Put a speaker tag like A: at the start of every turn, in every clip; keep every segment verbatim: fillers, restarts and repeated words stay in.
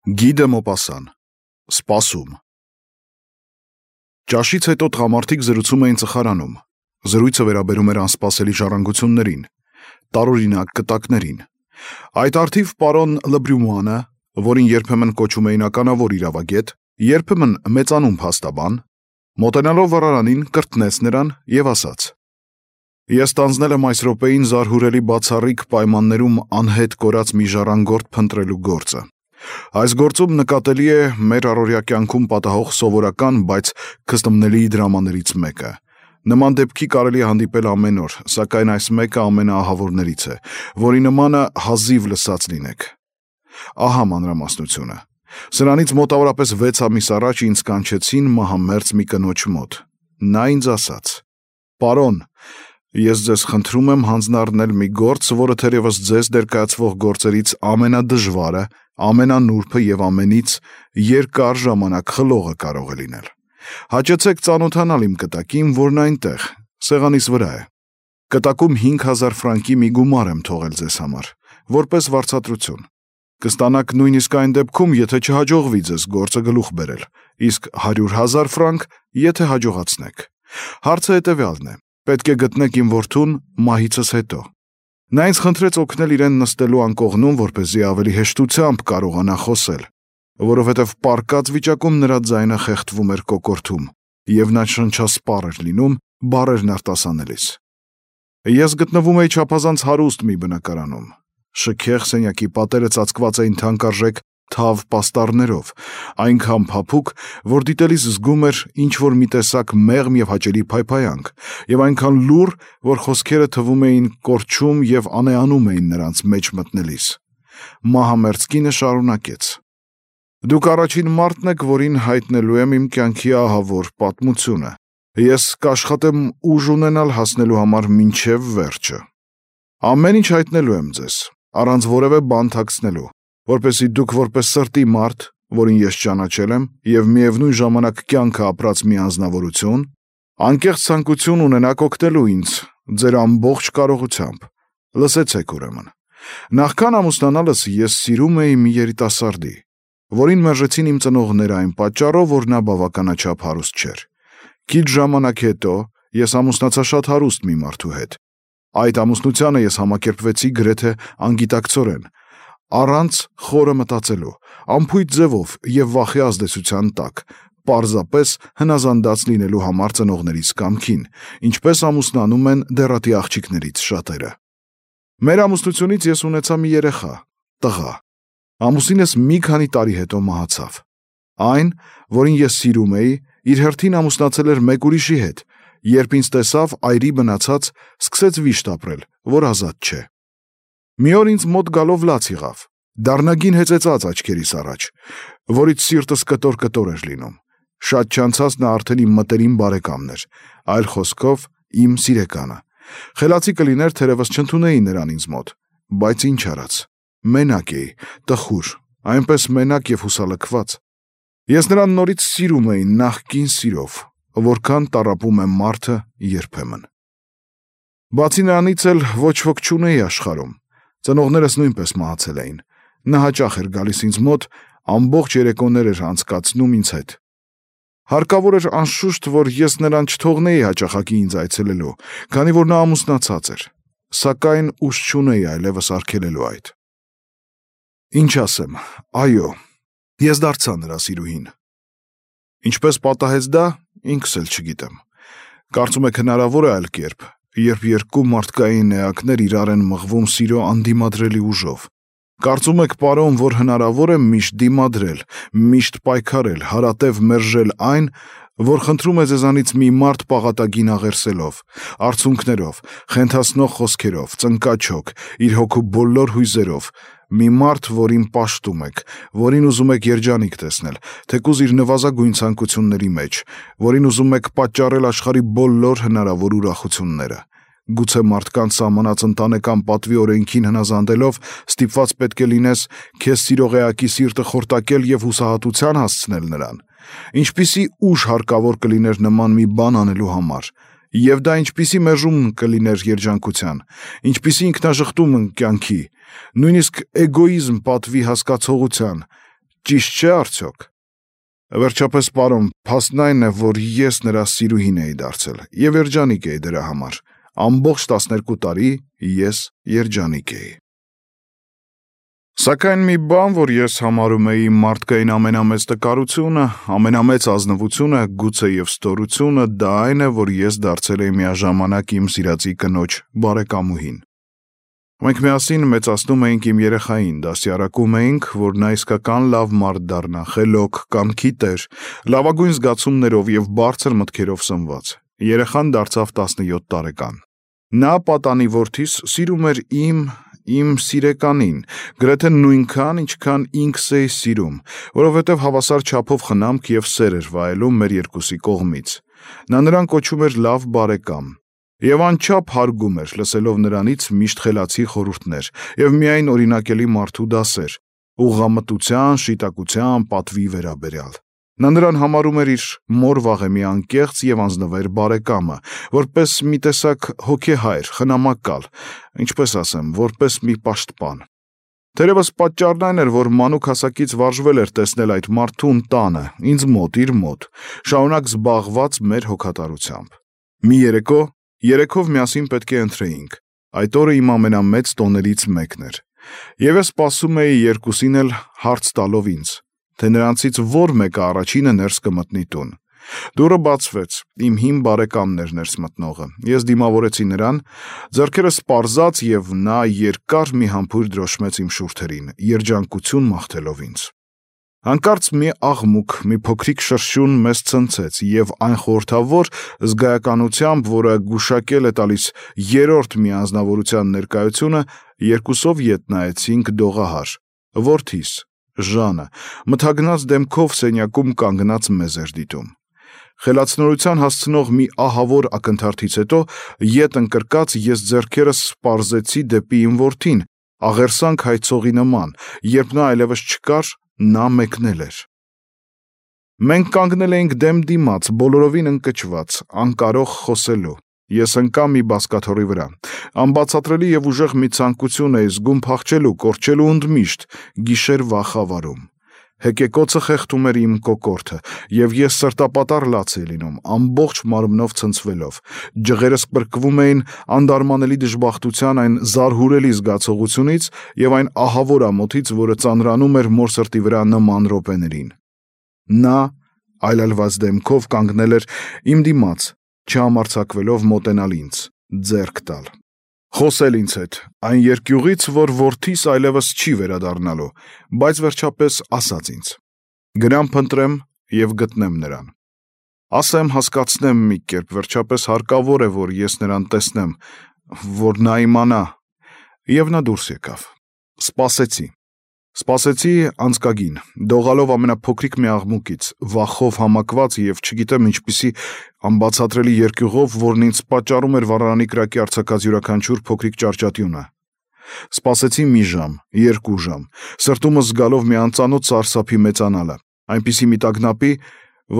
A: Գիդը Մոպասան, սպասում։ Ճաշից հետո տղամարդիկ զրուցում էին ծխարանում, զրույցը վերաբերում էր անսպասելի ժառանգություններին, տարօրինակ կտակներին։ Այդ արդիվ պարոն Լբրյումանը, որին երբեմն կոչում էին ականավոր իրավագետ, երբեմն մեծանում փաստաբան, մոտենալով վառարանին կրտնեց նրան և ասաց. «Ես տանձնել եմ այս րոպեին զարհուրելի բացառիկ պայմաններում անհետ կորած մի ժառանգորդ փնտրելու գործը։ Այս գործում նկատելի է մեր առօրյա կյանքում պատահող սովորական, բայց քստմնելի դրամաներից մեկը։ Նման դեպքի կարելի է հանդիպել ամեն օր, սակայն այս մեկը ամենաահավորներից է, որի նմանը հազիվ լսած լինեք։ Ահա մանրամասնությունը։ Սրանից մոտավորապես վեց ամիս առաջ ինձ կանչեցին մահամերձ մի կնոջ մոտ։ Նա ինձ ասաց. «Պարոն, ես ձեզ խնդրում եմ հանձնառնել մի գործ, որը թերևս ձեզ ներկայացվող գործերից ամենադժվարը, ամենանուրբը և ամենից երկար ժամանակ խլողը կարող է լինել։ Հաճեցեք ծանոթանալ իմ կտակին, որն այնտեղ, սեղանիս վրա է։ Կտակում հինգ հազար ֆրանկի մի գումար եմ թողել ձեզ համար, որպես վարձատրություն։ Կստանաք նույնիսկ այն դեպքում, եթե չհաջողվի ձեզ գործը գլուխ բերել, իսկ հարյուր հազար ֆրանկ, եթե հաջողացնեք։ Հարցը հետևյալն է. պետք է գտնեք իմ որդուն մահիցս հետո»։ Նա ինձ խնդրեց օգնել իրեն նստելու անկողնում, որպեսզի ավելի հեշտությամբ կարողանա խոսել, որովհետև պառկած վիճակում նրա ձայնը խեղդվում էր կոկորդում, և նա շնչասպառ էր լինում բառերն արտասանելիս։ Ես գտնվում էի չափազանց հարուստ մի բնակարանում։ Շքեղ սենյակի պատերը ծածկված էին թանկարժեք թավ պաստառներով, այնքան փափուկ, որ դիտելիս զգում էր ինչ-որ մի տեսակ մեղմ և հաճելի փայփայանք, և այնքան լուռ, որ խոսքերը թվում էին կորչում և անեանում էին նրանց մեջ մտնելիս։ Մահամերձ կինը շարունակեց. «Դուք առաջին մարդն եք, որին հայտնելու եմ իմ կյանքի ահավոր պատմությունը։ Ես կաշխատեմ ուժ ունենալ հասնելու համար մինչև վերջը։ Ամեն ինչ հայտնելու եմ ձեզ, առանց որևէ բան թաքցնելու, որպեսզի դուք որպես սրտի մարդ, որին ես ճանաչել եմ, և միևնույն ժամանակ կյանքը ապրած մի անձնավորություն, անկեղծ ցանկություն ունենաք օգնելու ինձ ձեր ամբողջ կարողությամբ։ Լսեցեք ուրեմն։ Նախքան ամուսնանալս ես սիրում էի մի երիտասարդի, որին մերժեցին իմ ծնողները այն պատճառով, որ նա բավականաչափ հարուստ չէր։ Քիչ ժամանակ հետո ես ամուսնացա շատ հարուստ մի մարդու հետ։ Այդ ամուսնությանը ես համակերպվեցի գրեթե անգիտակցորեն, առանց խորը մտածելու, անփույթ ձևով և վախի ազդեցության տակ, պարզապես հնազանդած լինելու համար ծնողներիս կամքին, ինչպես ամուսնանում են դեռատի աղջիկներից շատերը։ Մեր ամուսնությունից ես ունեցա մի երեխա, տղա։ Ամուսինս մի քանի տարի հետո մահացավ։ Այն, որին ես սիրում էի, իր հերթին ամուսնացել էր մեկ ուրիշի հետ, երբ ինձ տեսավ այրի բնացած, սկսեց վիշտ ապրել, որ ազատ չէ։ Մի օր ինձ մոտ գալով լաց եղավ, դառնագին հեծեծած աչքերիս առաջ, որից սիրտս կտոր-կտոր էր լինում։ Շատ չանցած նա արդեն իմ մտերիմ բարեկամն էր, այլ խոսքով իմ սիրեկանը։ Խելացի կլիներ, թերևս չընդունեի նրան ինձ մոտ, բայց ինչ արած, մենակ էի, տխուր, այնպես մենակ և հուսալքված։ Ես նրան նորից սիրում էի նախկին սիրով, որքան տառապում է մարդը երբեմն։ Բացի նրանից էլ ոչ ոք չունեի աշխարհում, ծնողներս նույնպես մահացել էին։ Նա հաճախ էր գալիս ինձ մոտ, ամբողջ երեկոներ էր անցկացնում ինձ հետ։ Հարկավոր էր անշուշտ, որ ես նրան չթողնեի հաճախակի ինձ այցելելու, քանի որ նա ամուսնացած էր, սակայն ուժ չունեի այլևս արգելելու այդ։ Ինչ ասեմ, այո, ես դարձա նրա սիրուհին։ Ինչպես պատահեց դա, ինքս էլ չգիտեմ։ Կարծում եք հնարավոր է այլ կերպ, երբ երկու մարդկային էակներ իրար են մղվում սիրո անդիմադրելի ուժով։ Կարծում եք, պարոն, որ հնարավոր է միշտ դիմադրել, միշտ պայքարել, հարատև մերժել այն, որ խնդրում է ձեզանից մի մարդ պաղատագին աղերսելով, արցունքներով, խենթացնող խոսքերով, ծնկաչոք, իր հոգու բոլոր հույզերով, մի մարդ, որին պաշտում եք, որին ուզում եք երջանիկ տեսնել, թեկուզ իր նվազագույն ցանկությունների մեջ, որին ուզում եք պատճառել աշխարհի բոլոր հնարավոր ուրախությունները։ Գուցե մարդկանց սահմանած ընտանեկան պատվի օրենքին հնազանդելով ստիպված պետք է լինես քեզ սիրող էակի սիրտը խորտակել և հուսահատության հասցնել նրան։ Ինչպիսի ուժ հարկավոր կլիներ նման մի բան անելու համար, և դա ինչպիսի մերժում կլիներ երջանկության, ինչպիսի ինքնաժխտում կյանքի, նույնիսկ էգոիզմ պատվի հասկացողության, ճիշտ չէ արդյոք։ Վերջապես պարոն, փաստն այն է, որ ես նրա սիրուհին էի դարձել եւ երջանիկ էի դրա համար։ Ամբողջ տասներկու տարի ես երջանիկ էի։ Սակայն մի բան, որ ես համարում էի մարդկային ամենամեծ տկարությունը, ամենամեծ ազնվությունը, գուցե եւ ստորությունը, դա այն է, որ ես դարձել էի միաժամանակ իմ սիրածի կնոջ բարեկամուհին։ Մենք միասին մեծացնում էինք իմ երեխային, դաստիարակում էինք, որ նա իսկական լավ մարդ դառնա, խելոք, կամքի տեր, լավագույն զգացումներով եւ բարձր մտքերով սնված։ Երեխան դարձավ տասնյոթ տարեկան։ Նա պատանի որդիս սիրում էր իմ, իմ սիրեկանին, գրեթե նույնքան, ինչքան ինքս էի սիրում, որովհետև հավասար չափով խնամք եւ սեր էր վայելում մեր երկուսի կողմից։ Նա նրան կոչում էր լավ բարեկամ։ Եվ անչափ հարգում էր, լսելով նրանից միշտ խելացի խորհուրդներ եւ միայն օրինակելի մարդու դասեր, ուղղամտության, շիտակության, պատվի վերաբերյալ։ Նա նրան համարում էր իր մոր վաղեմի անկեղծ եւ անձնվեր բարեկամը, որպես մի տեսակ հոգեհայր, խնամակալ, ինչպես ասեմ, որպես մի պաշտպան։ Թերևս պատճառն այն էր, որ մանուկ հասակից վարժվել էր տեսնել այդ մարդուն տանը, ինձ մոտ, իր մոտ, շարունակ զբաղված մեր հոգատարությամբ։ Մի երեկո Երեքով միասին պետք է ընթրեինք։ Այդ օրը իմ ամենամեծ տոներից մեկն էր։ Եվ ես սպասում էի երկուսին էլ հարց տալով ինձ, թե նրանցից որ մեկը առաջինը ներս կմտնի տուն։ Դուռը բացվեց, իմ հին բարեկամն էր ներս մտնողը։ Ես դիմավորեցի նրան, ձեռքերս պարզած եւ նա երկար մի համբույր դրոշմեց իմ շուրթերին, երջանկություն մաղթելով ինձ։ Հանկարծ մի աղմուկ, մի փոքրիկ շրշյուն մեզ ցնցեց եւ այն խորհրդավոր զգայականությամբ, որը գուշակել է տալիս երրորդ մի անձնավորության ներկայությունը, երկուսով ետ նայեցինք դողահար։ Որդիս, Ժանը, մթագնած դեմքով սենյակում կանգնած մեզ էր դիտում։ Խելացնորության հասցնող մի ահավոր ակնթարթից հետո ետ ընկրկած ես ձեռքերս սպարզեցի դեպի իմ որդին, աղերսանք հայցողի նման, երբ նա այլևս չկար, նա մեկնել էր։ Մենք կանգնել էինք դեմ դիմաց, բոլորովին ընկճված, անկարող խոսելու։ Ես ընկա մի բազկաթոռի վրա։ Անբացատրելի եւ ուժեղ մի ցանկություն էի զգում փախչելու, կորչելու ընդմիշտ, գիշերվա խավարում։ Հեկեկոցը խեղդում էր իմ կոկորդը, եւ ես սրտապատառ լաց էի լինում, ամբողջ մարմնով ցնցվելով։ Ջղերս պրկվում էին անդարմանելի դժբախտության այն զարհուրելի զգացողությունից եւ այն ահավոր ամոթից, որը ծանրանում էր մոր սրտի վրա նման րոպեներին։ Նա այլայլված դեմքով կանգնել էր իմ դիմաց, չհամարձակվելով մոտենալ ինձ, ձեռք տալ։ Խոսել ինձ հետ, այն երկյուղից, որ որդիս այլևս չի վերադառնալու, բայց վերջապես ասաց ինձ. գնամ փնտրեմ եւ գտնեմ նրան։ Ասեմ, հասկացնեմ մի կերպ, վերջապես հարկավոր է, որ ես նրան տեսնեմ, որ նա իմանա։ Եվ նա դուրս եկավ։ Սպասեցի։ Սպասեցի անցկագին, դողալով ամենափոքրիկ մի աղմուկից, վախով համակված եւ չգիտեմ ինչպիսի անբացատրելի երկյուղով, որն ինձ պատճառում էր վառարանի կրակի արձակած յուրաքանչյուր փոքրիկ ճարճատյունը։ Սպասեցի մի ժամ, երկու ժամ, սրտումս զգալով մի անծանոթ սարսափի մեծանալը, այնպիսի մի տագնապի,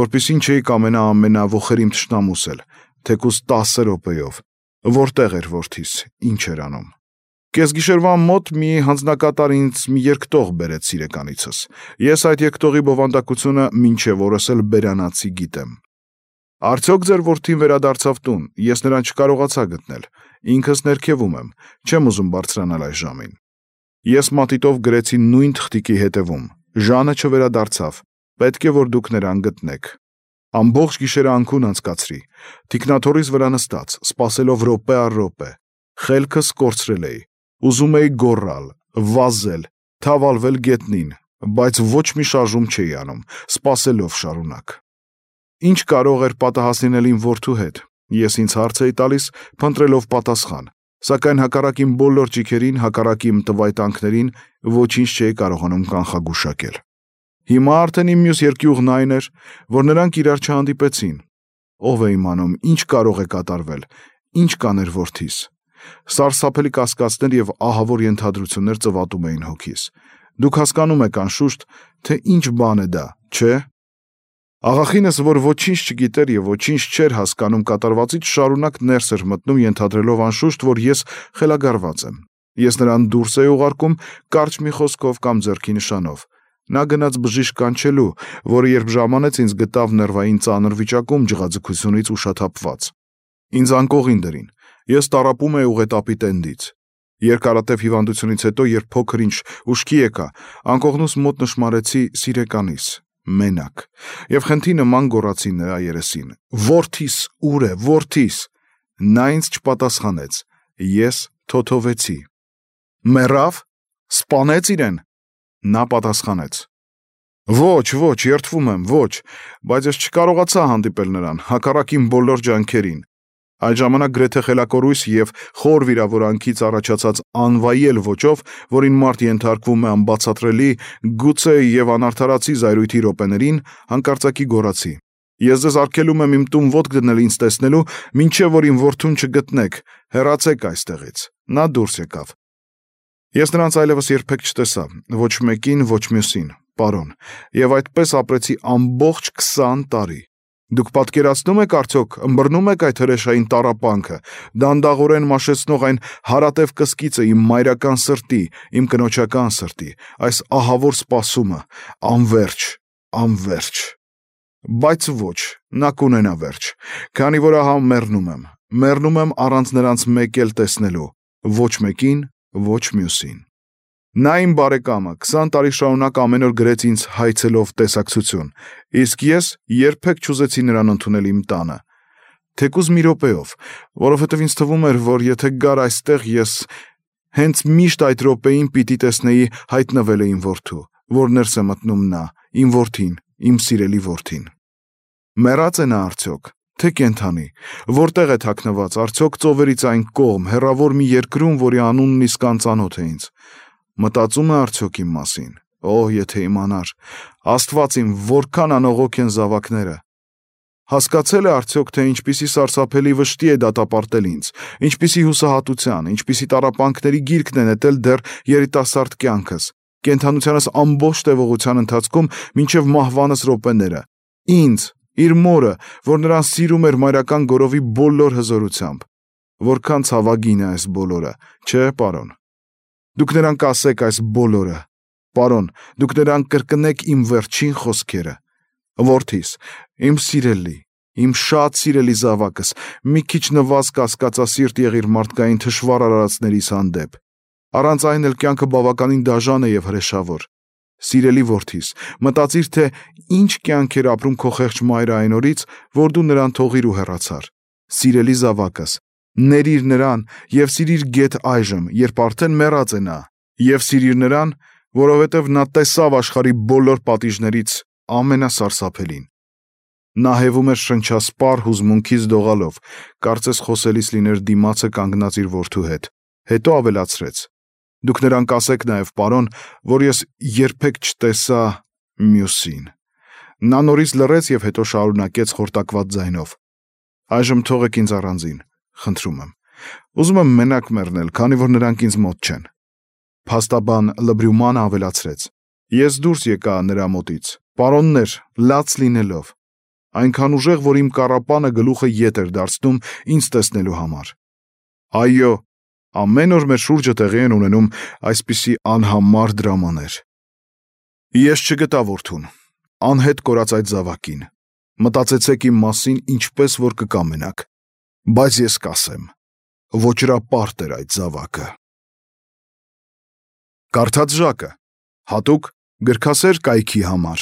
A: որպեսզի չէի կամենա ամենավոխերիմ թշնամուս էլ, թեկուզ տասը րոպեով։ Որտեղ էր որդիս, ինչ էր անում։ Կեսգիշերվան մոտ մի հանձնակատար ինձ մի երկտող բերեց սիրեկանիցս։ Ես այդ երկտողի բովանդակությունը մինչև օրս էլ բերանացի գիտեմ։ Արդյոք ձեր որդին վերադարձավ տուն, ես նրան չկարողացա գտնել, ինքս ներքևում եմ, չեմ ուզում բարձրանալ այս ժամին։ Ես մատիտով գրեցի նույն թղթիկի հետևում, Ժանը չվերադարձավ, պետք է որ դուք նրան գտնեք։ Ամբողջ գիշերը անքուն անցկացրի, թիկնաթոռիս վրա նստած, սպասելով րոպե առ րոպե, խելքս կորցրել էի, ուզում էի գոռալ, վազել, թավալվել գետնին, բայց ոչ մի շարժում չէի անում, սպասելով շարունակ։ Ինչ կարող էր պատահասնել իմ որդու հետ, ես ինձ հարց էի տալիս, փնտրելով պատասխան, սակայն հակառակ իմ բոլոր ճիքերին, հակառակ իմ տվայտանքներին, ոչինչ չէի կարողանում կանխագուշակել։ Հիմա արդեն իմ մյուս երկյուղն այն էր, որ նրանք իրար չհանդիպեցին։ Ով է իմանում, ինչ կարող է կատարվել, ինչ կաներ որդիս։ Սարսափելի կասկածներ եւ ահավոր ենթադրություններ ծվատում էին հոգիս։ Դուք հասկանում եք անշուշտ, թե ինչ բան է դա, չէ՞։ Աղախինս, որ ոչինչ չգիտեր եւ ոչինչ չէր հասկանում կատարվածից, շարունակ ներս էր մտնում, ենթադրելով անշուշտ, որ ես խելագարված եմ։ Ես նրան դուրս էի ուղարկում կարճ մի խոսքով կամ ձեռքի նշանով, Նա գնաց բժիշկ կանչելու, որը երբ ժամանեց ինձ գտավ ներվային ծանր վիճակում ջղաձգությունից ուշաթափված։ Ինձ անկողին դրին։ Ես տառապում էի ուղետապի տենդից։ Երկարատև հիվանդությունից հետո, երբ փոքր ինչ ուշքի եկա, անկողնուս մոտ նշմարեցի սիրեկանիս, մենակ, եւ խնդի նման գոռացի նրա երեսին. «Որդիս ուր է, որդիս»։ Նա ինձ չպատասխանեց։ Ես թոթովեցի։ Մեռավ։ Սպանեց իրեն։ Նա պատասխանեց. Ոչ, ոչ, երդվում եմ, ոչ, բայց ես չկարողացա հանդիպել նրան, հակառակ իմ բոլոր ջանքերին։ Այդ ժամանակ գրեթե խելակորույս եւ խոր վիրավորանքից առաջացած անվայել ոճով, որին մարդ ենթարկվում է անբացատրելի, գուցե եւ անարդարացի զայրույթի րոպեներին, հանկարծակի գոռացի. Ես ձեզ արգելում եմ իմ տուն ոտք դնել ինձ տեսնելու, մինչեւ որ իմ որդուն չգտնեք, հեռացեք այստեղից։ Նա դուրս եկավ։ Ես նրանց այլևս երբեք չտեսա, ոչ մեկին, ոչ մյուսին, պարոն, եւ այդպես ապրեցի ամբողջ քսան տարի։ Դուք պատկերացնում եք արդյոք, ըմբռնում եք այդ հրեշային տառապանքը, դանդաղորեն մաշեցնող այն հարատև կսկիծը իմ մայրական սրտի, իմ կնոջական սրտի, այս ահավոր սպասումը, անվերջ, անվերջ։ Բայց ոչ, նա կունենա վերջ, քանի որ ահա մեռնում եմ, մեռնում եմ առանց նրանց մեկ էլ տեսնելու, ոչ մեկին, ոչ մյուսին։ Նա իմ բարեկամը քսան տարի շարունակ ամեն օր գրեց ինձ հայցելով տեսակցություն, իսկ ես երբեք չուզեցի նրան ընդունել իմ տանը, թեկուզ մի րոպեով, որովհետև ինձ թվում էր, որ եթե գար այստեղ, ես հենց միշտ այդ րոպեին պիտի տեսնեի հայտնվել է իմ որդու, որ ներս է մտնում նա, իմ որդին, իմ սիրելի որդին։ Մեռած է նա արդյոք, թե կենդանի, որտեղ է թաքնված, արդյոք ծովերից այն կողմ, հեռավոր մի երկրում, որի անունն իսկ անծանոթ է ինձ։ Մտածում է արդյոք իմ մասին։ Օ, եթե իմանար, Աստված իմ, որքան անողոք են զավակները։ Հասկացել է արդյոք, թե ինչպիսի սարսափելի վշտի է դատապարտել ինձ, ինչպիսի հուսահատության, ինչպիսի տառապանքների գիրկն է նետել դեռ երիտասարդ կյանքս, կենդանությանս ամբողջ տևողության ընթացքում մինչև մահվանս րոպեները։ Ինձ, իր մորը, որ նրան սիրում էր մայրական գորովի բոլոր հզորությամբ։ Որքան ցավագին է այս բոլորը, չէ, պարոն։ Դուք նրան կասեք այս բոլորը, պարոն, դուք նրան կրկնեք իմ վերջին խոսքերը։ Որդիս, իմ սիրելի, իմ շատ սիրելի զավակս, մի քիչ նվազ կասկածասիրտ եղիր մարդկային թշվառ արարածներիս հանդեպ։ Առանց այն էլ կյանքը բավականին դաժան է եւ հրեշավոր։ Սիրելի որդիս, մտածիր, թե ինչ կյանք էր ապրում քո խեղճ մայրը այն օրից, որ դու նրան թողիր ու հեռացար։ Սիրելի զավակս, ներիր նրան եւ սիրիր գեթ այժմ, երբ արդեն մեռած է նա, եւ սիրիր նրան, որովհետեւ նա տեսավ աշխարհի բոլոր պատիժներից ամենասարսափելին։ Նա հևում էր շնչասպառ հուզմունքից դողալով, կարծես խոսելիս լիներ դիմացը կանգնած իր որդու հետ, հետո ավելացրեց. Դուք նրան կասեք նաև, պարոն, որ ես երբեք չտեսա մյուսին։ Նա նորից լռեց եւ հետո շարունակեց խորտակված ձայնով. Այժմ թողեք ինձ առանձին, խնդրում եմ։ Ուզում եմ մենակ մեռնել, քանի որ նրանք ինձ մոտ չեն։ Փաստաբան Լբրյումանը ավելացրեց. Ես դուրս եկա նրա մոտից, պարոններ, լաց լինելով, այնքան ուժեղ, որ իմ կառապանը գլուխը ետ էր դարձնում ինձ տեսնելու համար։ Այո, ամեն օր մեր շուրջը տեղի են ունենում այսպիսի անհամար դրամաներ։ Ես չգտա որդուն, անհետ կորած այդ զավակին։ Մտածեցեք իմ մասին ինչպես որ կկամենաք, բայց ես կասեմ, ոճրապարտ էր այդ զավակը։ Կարդաց Ժակը, հատուկ գրքասեր կայքի համար։